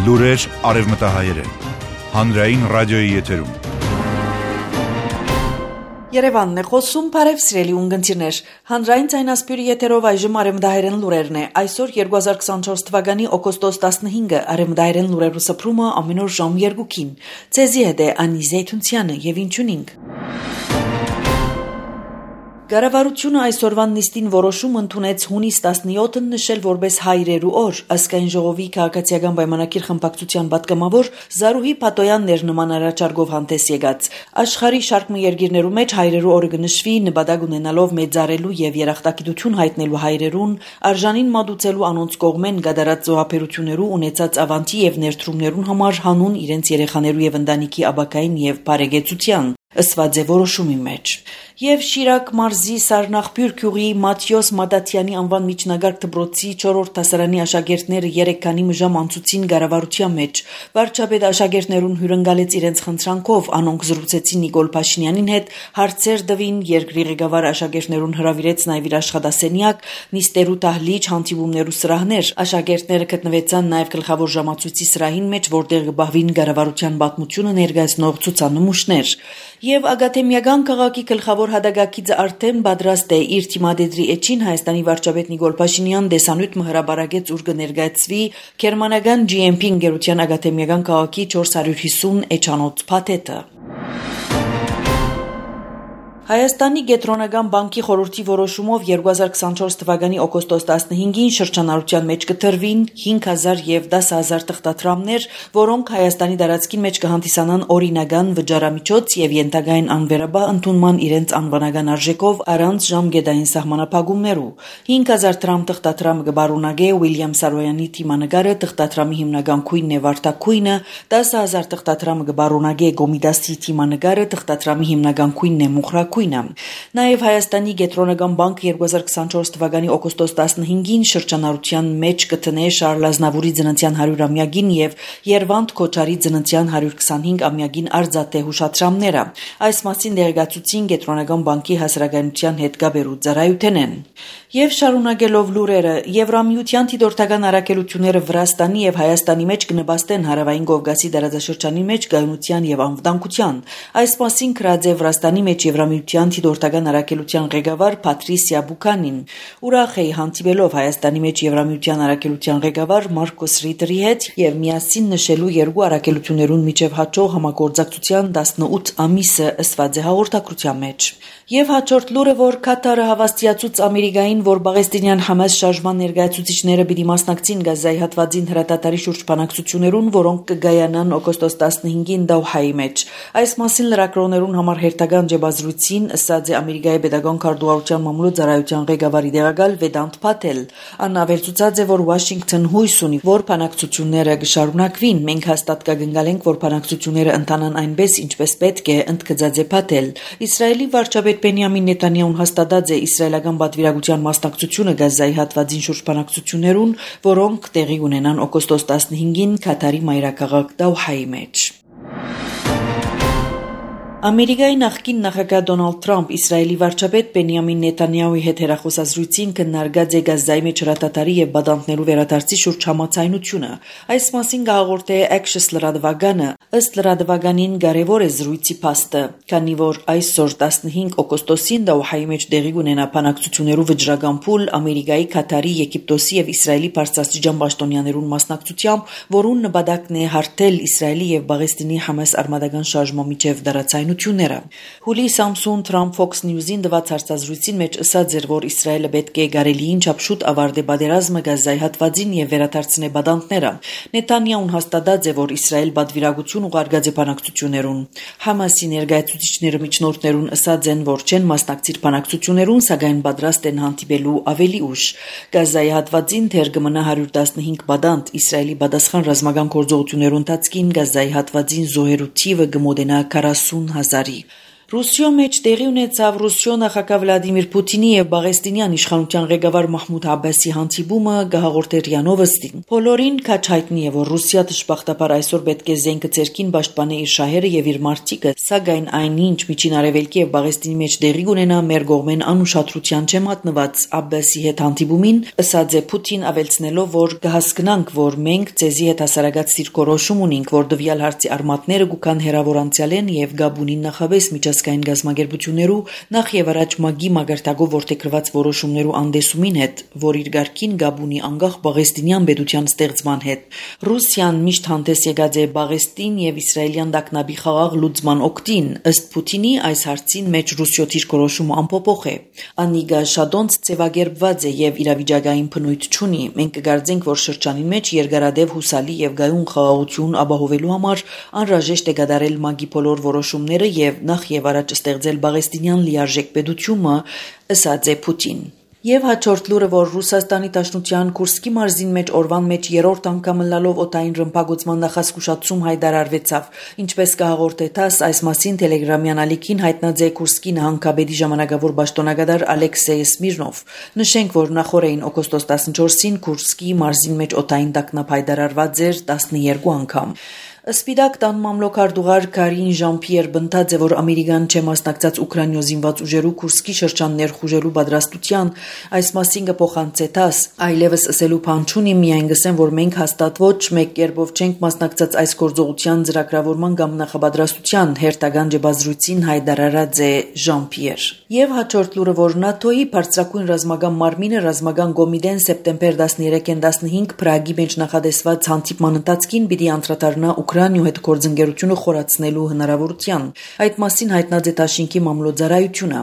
Լուրեր արևմտահայերեն, հանրային ռադիոյի եթերում։ Երևանն է խոսում, բարև սիրելի ունգընտիրներ, հանրային ձայնասպյուրի եթերով այժմ արևմտահայերեն լուրերն է, այսօր 2024 թվականի օգոստոս 15-ը արևմտահայերեն լուրերու սփռումը ամեն օր ժամ 2-ին, ձեզի հետ է Անի Զեյթունցյանը և ինչունինք։ Կառավարությունը այսօրվան նիստին որոշում ընդունեց հունիս 17-ն նշել որպես հայրերու օր, ազգային ժողովի քաղաքացիական պայմանագիր խմբակցության պատգամավոր Զարուհի Փաթոյաններ նման առաջարկով հանդես եկած։ Աշխարհի շարք երկիրներու մեջ հայրերու օրը կնշվի նպատակ ունենալով մեծարելու եւ երախտագիտություն հայտնելու հայրերուն, արժանին մատուցելու անոնց կողմեն գդարած զոհաբերություններու ունեցած ավանտի եւ ներդրումներուն համար հանուն իրենց երեխաներու եւ ընտանիքի աբակային եւ բարեկեցության ըսված է որոշումի մեջ։ Եվ Շիրակ մարզի Սարնախբյուր գյուղի Մաթիոս Մադաթյանի անվան միջնագարկ դպրոցի 4-րդ դասարանի աշակերտները 3 քանի մժամ անցուցին կառավարության մեջ։ Վարչապետ աշակերտներուն հյուրընկալեց իրենց խնդրանքով, անոնք զրուցեցին Նիկոլ Փաշինյանին հետ, հարցեր տվին, երկրի ղեկավար աշակերտներուն հրավիրեց նաև իր աշխատասենյակ, նիստերու դահլիճ, հանդիպումներու սրահներ։ Աշակերտները գտնվեցան նաև գլխավոր ժամացույցի սրահին մեջ, որտեղ կբահվին կառավարության պատմությունը ներկայացնող ցուցանմուշներ։ Եվ Ագաթեմիական քաղաքի գլխավոր հադագակիցը արդեն պատրաստ է իր թիմադեդրի էջին Հայաստանի վարչապետ Նիկոլ Փաշինյան դեսանյութ հրաբարագեց, ուր կներկայացվի գերմանական GMP ընկերության Ագաթեմիական քաղաքի 450 էջանոց փաթեթը։ Հայաստանի Կենտրոնական բանկի խորհրդի որոշումով 2024 թվականի օգոստոս 15-ին շրջանառության մեջ կտրվին 5,000 եւ 10,000 թղթադրամներ, որոնք Հայաստանի տարածքին մեջ կհանդիսանան օրինական վճարամիջոց եւ ենթակային անվերաբար ընդունման իրենց անվանական արժեքով առանց ժամկետային սահմանափակումներու։ 5,000 դրամ թղթադրամը կբարունագե Ուիլյամ Սարոյանի թիմանկարը, թղթադրամի հիմնական քույնն է վարդակույնը, 10,000 թղթադրամը կբարունագե Գոմիդասի թիմանկարը, թղթադրամի հիմնական քույնն է Մուխրակ Նաև Հայաստանի Կենտրոնական բանկը 2024 թվականի օգոստոս 15-ին շրջանառության մեջ կտնե Շարլ Ազնավուրի ծննդյան 100-ամյակին եւ Երվանդ Քոչարի ծննդյան 125-ամյակին արձատե հուշադրամները։ Այս մասին դերակացուցին Կենտրոնական բանկի հասարակայնության հետ կապերու ծառայությունեն։ Եվ շարունակելով լուրերը, Եվրամիության դիտորդական առաքելությունները Վրաստանի եւ Հայաստանի մեջ կնպաստեն Հարավային Կովկասի տարածաշրջանի մեջ գայունության եւ անվտանգության։ Այս մասին գրած է Վրաստանի մեջ Եվրամիության դիտորդական առաքելության ղեկավար Փատրիսիա Բուքանին։ Ուրախ է հանդիպելով Հայաստանի մեջ Եվրամիության առաքելության ղեկավար Մարկոս Ռիտերի հետ եւ միասին նշելու երկու առաքելություններուն միջև հաջող համագործակցության 18 ամիսը ըսված է հաղորդակցության մեջ։ Եվ հաջորդ լուրը, որ Կատարը հավաստիացուց Ամերիկային, որ Պաղեստինյան Համաս շարժման ներկայացուցիչները պիտի մասնակցին Գազայի հատվածին հրատատարի շուրջ բանակցություններուն, որոնք կգայանան օգոստոս 15-ին Դոհայի մեջ։ Այս մասին լրագրողներուն համար հերթական ջբազրույցին ըսած է Ամերիկայի պետական քարտուղարության մամուլի ծառայության ղեկավարի դեղակալ Վեդանտ Փաթել։ Ան ավելցուցած է, որ Վաշինգտոն հույս ունի, որ բանակցությունները կշարունակվին։ Մենք հաստատ կգնկալենք, որ բանակցությունները ընթանան այնպես, ինչպես պետք է, ընդգծած է Փաթել։ Իսրայելի վարչապետ Բենյամին Նեթանյահուն հաստատած է իսրայելական պատվիրակության մասնակցությունը Գազայի հատվածին շուրջ բանակցություններուն, որոնք տեղի ունենան օգոստոս 15-ին Կատարի մայրաքաղաք Դոհայի մեջ։ Ամերիկայի նախկին նախագահ Դոնալդ Թրամփ Իսրայելի վարչապետ Բենյամին Նեթանյահուի հետ հեռախոսազրույցին քննարկած է Գազայի մեջ հրատատարի եւ բադանտներու վերադարձի շուրջ համաձայնությունը։ Այս մասին կհաղորդե Axios լրատվականը։ Ըստ լրատվականին կարևոր է զրույցի փաստը, քանի որ այսօր 15 օգոստոսին Դոհայի մեջ տեղի ունենա բանակցություններու վճռական փուլ Ամերիկայի, Կատարի, Եգիպտոսի եւ Իսրայելի բարձրաստիճան պաշտոնյաներուն մասնակցությամբ, որուն նպատակն է հարթել Իսրայելի եւ Պաղեստինի Համաս արմատական շարժման միջև դարացայնությունը։ Հուլի Սամսուն Թրամփ Fox News-ին դված հարցազրույցին մեջ ըսած էր, որ Իսրայելը պետք է գարելիին չափ շուտ ավարտի պատերազմը Գազայի հատվածին եւ վերադարձնի բադանտները։ Նեթանյահուն հաստատած է, որ Իսրայել պատվիրակություն ուղարկած է բանակցություններուն։ Համասի ներկայացուցիչները միջնորդներուն ըսած են, որ չեն մասնակցիր բանակցություններուն, սակայն պատրաստ են հանդիպելու ավելի ուշ։ Գազայի հատվածին դեռ կմնա 115 բադանտ։ Իսրայելի պատասխան ռազմական գործողություններուն ընթացքին Գազայի հատվածին զոհերու թիվը կմոտենա 40,000-ի։ Ռուսիո մեջ տեղի ունեցավ Ռուսիո նախագահ Վլադիմիր Պուտինի եւ Բաղեստինյան իշխանության ղեկավար Մահմուդ Աբբասի հանդիպումը գահաղորդեր Յանովստին։ Բոլորին քաչ հայտնի է, որ Ռուսիա դժբախտաբար այսօր պետք է զենքը ցերքին պաշտպանի իր շահերը եւ իր մարդիկը, սակայն այնինչ միջին արևելքի եւ Բաղեստինի մեջ տեղի ունենա մեր կողմեն անուշադրության չեմ մատնված Աբբասի հետ հանդիպումին, ըսած է Պուտին ավելցնելով, որ կհասկնանք, որ մենք ցեզի հետ հասարակած դիրքորոշում ունենք, որ դվյալ հարցի արմատները գուքան հերավոր անցյալեն եւ Գաբունին նախավես միջազգային գազագերբություններու նախ եւ առաջ մագի մագարտակով որդեգրված որոշումներու անդեսումին հետ, որ իր ղարքին Գաբունի անկախ Բաղեստինյան պետության ստեղծման հետ։ Ռուսիան միշտ հանդես եկած է Բաղեստին եւ իսրայելյան դակնաբի խաղաղ լուծման օգտին, ըստ Պուտինի այս հարցին մեջ Ռուսիո դիրքորոշումը անփոփոխ է։ Անիգա շադոնց ծեվագերբված է եւ իրավիճակային բնույթ չունի։ Մենք կգարձենք, որ շրջանի մեջ երկարադեպ հուսալի եւ գայուն խաղաղություն ապահովելու համար անհրաժեշտ է կատարել մագի բոլոր որոշումները եւ նախ եւ առաջ ստեղծել Բաղեստինյան լիարժեք պետությունը, ըսած է Պուտին։ Եվ հաջորդ լուրը, որ Ռուսաստանի Դաշնության Կուրսկի մարզին մեջ օրվան մեջ երրորդ անգամ լալով օտային ռմբակոծման նախազգուշացում հայտարարվեցավ։ Ինչպես կհաղորդե ՏԱՍ, այս մասին Տելեգրամյան ալիքին հայտնած է Կուրսկի նահանգապետի ժամանակավոր պաշտոնագետար Ալեքսեյ Սմիրնով։ Նշենք, որ նախորդին օգոստոս 14-ին Կուրսկի մարզին մեջ օտային տագնապ հայտարարված էր 12 անգամ։ Սպիտակ տան մամլոքարդուղար Կարին Ժան-Պիեր բնտած է, որ Ամերիկան չմասնակցած Ուկրաինո զինված ուժերու Կուրսկի շրջան ներխուժելու պատրաստության, այս մասին կփոխանցե ՏԱՍ, այլևս ասելու բան չունի, միայն գսեն, որ մենք հաստատ ոչ մեկ կերպով չենք մասնակցած այս գործողության ծրագրավորման կամ նախապատրաստության, հերթական ջբազրույցին հայտարարած է Ժան-Պիեր։ Եվ հաջորդ լուրը, որ ՆԱՏՕ-ի բարձրակույն ռազմական մարմինը ռազմական կոմիտեն սեպտեմբեր 13-ին 15 Պրագի մեջ նախադեсված հանդիպման ընթացքին պիտի անդրադառնա Ուկրաինայու հետ գործընկերությունը խորացնելու հնարավորության։ Այդ մասին հայտնած է Դաշինքի մամլոյցարայությունը։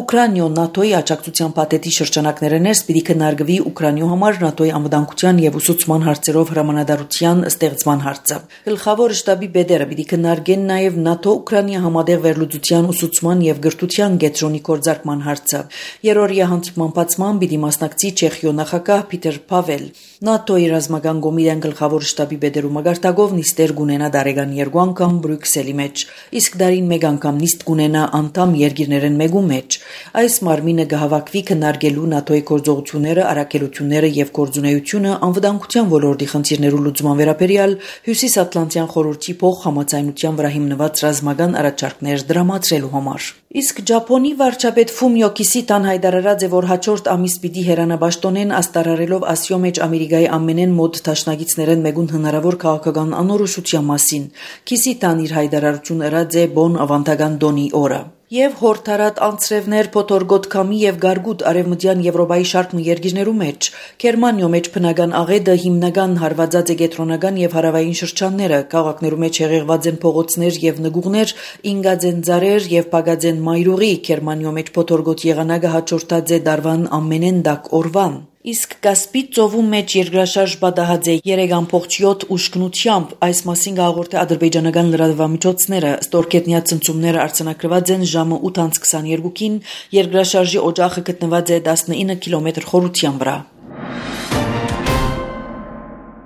Ուկրաինայո ՆԱՏՕ-ի աջակցության փաթեթի շրջանակները ներս պիտի քննարկվի Ուկրաինայու համար ՆԱՏՕ-ի անվտանգության եւ ուսուցման հարցերով հրամանատարության ստեղծման հարցը։ Գլխավոր շտաբի բեդերը պիտի քննարկեն նաեւ ՆԱՏՕ-Ուկրաինա համատեղ վերլուծության ուսուցման եւ գրթության կենտրոնի կորձարկման հարցը։ Երրորդյա հանդիպման բացման պիտի մասնակցի Չեխիո նախագահ Պիտեր Փավել։ ՆԱՏՕ-ի ռազմական կոմիտեն գլխավոր շտաբի բեդերու մագարտակով նիստեր գունենա դարեգան 2 անգամ Բրյուսելի մեջ, իսկ դարին 1 անգամ նիստ գունենա անդամ երկիրներեն մեկու մեջ։ Այս մարմինը կհավաքվի քննարկելու ՆԱՏՕ-ի գործողությունները, առաքելությունները եւ գործունեությունը անվտանգության ոլորտի խնդիրներու լուծման վերաբերյալ Հյուսիսատլանտյան խորհրդի փոխհամաձայնության վրա հիմնված ռազմական առաջարկներ դրամատրելու համար։ Իսկ Ճապոնի վարչապետ Ֆումիո Կիսիդան հայտարարած է, որ հաջորդ ամիս պիտի հեռանաբաշտոնեն աստարարելով Ասիո մեջ Ամերիկայի ամենեն մոտ դաշնակիցներեն մեկուն հնարավոր քաղաքական անորոշության մասին։ Կիսիդան իր հայտարարությունը ըրած է Բոն ավանդական դոնի օրը։ Եվ հորթարատ անցրևներ փոթորգոտ քամի եւ գարգուտ արևմտյան Եվրոպայի շարք երկիրներու մեջ Գերմանիո մեջ բնական աղետը հիմնական հարվածած է կենտրոնական եւ հարավային շրջանները, քաղաքներու մեջ հեղեղված են փողոցներ եւ նգուղներ, ինգած են ծառեր եւ փագած են մայրուղի, Գերմանիո մեջ փոթորգոտ եղանակը հաջորդած է դարվան ամենեն դակ օրվան։ Իսկ Կասպի ծովու մեջ երկրաշարժ պատահած է 3.7 ուշքնությամբ, այս մասին կհաղորդե ադրբեջանական լրատվամիջոցները, ստորգետնյա ցնցումները արձանագրված են ժամը 8:22-ին, երկրաշարժի օջախը գտնված է 19 կիլոմետր խորության վրա։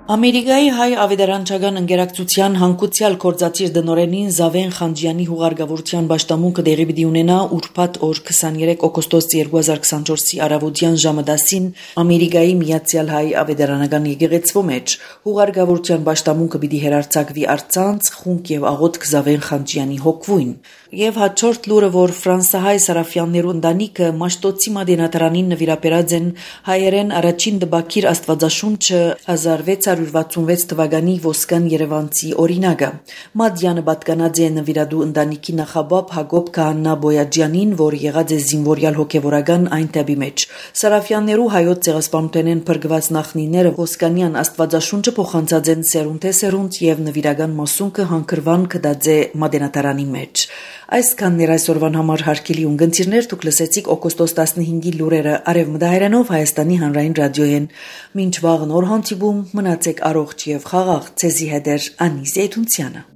Ամերիկայի հայ ավետարանչական ընկերակցության հանգուցյալ կորզացիր դնորենին Զավեն Խանջյանի հուղարկավորության պաշտամունքը դեղի պիտի ունենա ուրբաթ օր 23 օգոստոս 2024-ի առավոտյան ժամը 10-ին Ամերիկայի Միացյալ Հայ ավետարանական եկեղեցվո մեջ հուղարկավորության պաշտամունքը պիտի հերարցակվի արցանց խունկ եւ աղոթք Զավեն Խանջյանի հոգվույն։ Եվ հաջորդ լուրը, որ ֆրանսահայ Սարաֆյաններու ընտանիքը Մաշտոցի մատենադարանին նվիրապերած են հայերեն առաջին դպակիր Աստվածաշունչը 1666 թվականի ոսկան Երևանցի օրինակը։ Մադյանը պատկանած է նվիրադու ընտանիքի նախաբապ Հակոբ Քահանա Բոյաջյանին, որ եղած է զինվորյալ հոգևորական այն տեպի մեջ։ Սարաֆյաններու հայոց ցեղասպանութենեն փրկված նախնիները ոսկանյան Աստվածաշունչը փոխանցած են սերունդ է սերունդ եւ նվիրական մասունքը հանգրվան կդած է մատենադարանի մեջ։ Այսքանն էր այսօրվան համար հարգելի ունգընտիրներ, դուք լսեցիք օգոստոս 15-ի լուրերը Արևմտահայերենով Հայաստանի հանրային ռադիոյեն։ Մինչ վաղ նոր հանդիպում, մնացեք առողջ եւ խաղաղ, ցեզի հետ Անի Զեյթունցյանը։